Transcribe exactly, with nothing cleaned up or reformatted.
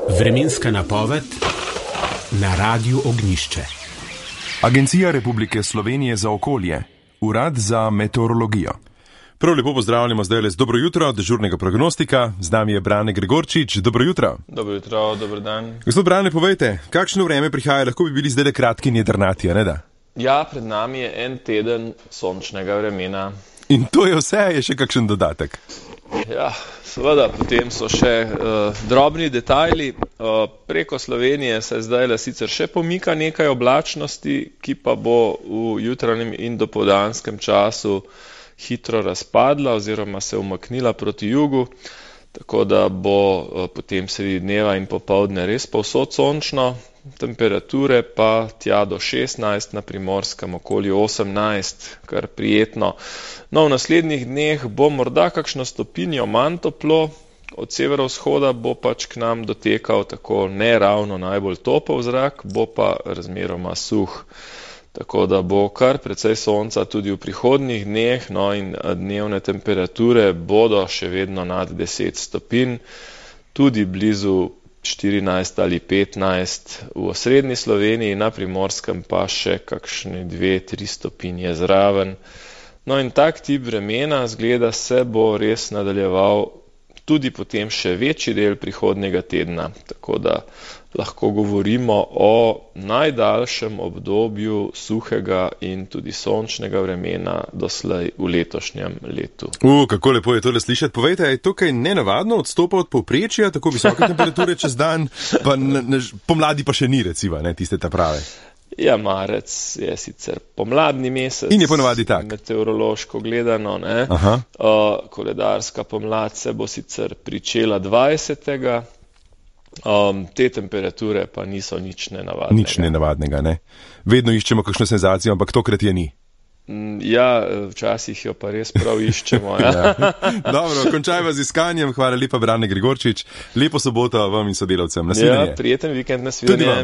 Vremenska napoved na Radiu Ognjišče. Agencija Republike Slovenije za okolje, Urad za meteorologijo. Prav lepo pozdravljamo zdaj z dobro jutro, dežurnega prognostika. Z nami je Brane Gregorčič. Dobro jutro. Dobro jutro, dober dan. Gospod Brane, povejte, kakšno vreme prihaja? Lahko bi bili zdaj kratki in jedrnati, ne da? Ja, pred nami je en teden sončnega vremena. In to je vse, je še kakšen dodatek? Ja, seveda, potem so še uh, drobni detajli. Uh, preko Slovenije se zdaj le sicer še pomika nekaj oblačnosti, ki pa bo v jutranjem in dopoldanskem času hitro razpadla oziroma se umaknila proti jugu, tako da bo uh, potem sredi dneva in popoldne res povsod sončno, temperature pa tja do šestnajst, na Primorskem okoli osemnajst, kar prijetno. No, v naslednjih dneh bo morda kakšno stopinjo manj toplo, od severovzhoda bo pač k nam dotekal tako ne ravno najbolj topel zrak, bo pa razmeroma suh. Tako da bo kar precej sonca tudi v prihodnjih dneh, no in dnevne temperature bodo še vedno nad deset stopinj, tudi blizu štirinajst ali petnajst v osrednji Sloveniji, na Primorskem pa še kakšne dve, tri stopinje zraven. No in tak tip vremena zgleda se bo res nadaljeval tudi potem še večji del prihodnjega tedna, tako da lahko govorimo o najdaljšem obdobju suhega in tudi sončnega vremena doslej v letošnjem letu. U, kako lepo je tole slišati. Povejte, je tukaj nenavadno odstopa od povprečja, tako visoke temperature čez dan, pa ne, ne, pomladi pa še ni, recimo, ne, tiste ta prave. Ja, marec je sicer pomladni mesec. In je ponavadi tak. Meteorološko gledano, ne. Aha. Uh, koledarska pomlad se bo sicer pričela dvajsetega Um, te temperature pa niso nič nenavadnega. Nič nenavadnega, ne. Vedno iščemo kakšno senzacijo, ampak tokrat je ni. Ja, včasih jo pa res prav iščemo. Ja. Ja. Dobro, končajva z iskanjem. Hvala lepa, Brane Gregorčič. Lepo soboto vam in sodelavcem. Nasvidenje. Ja, prijeten vikend, nasvidenje.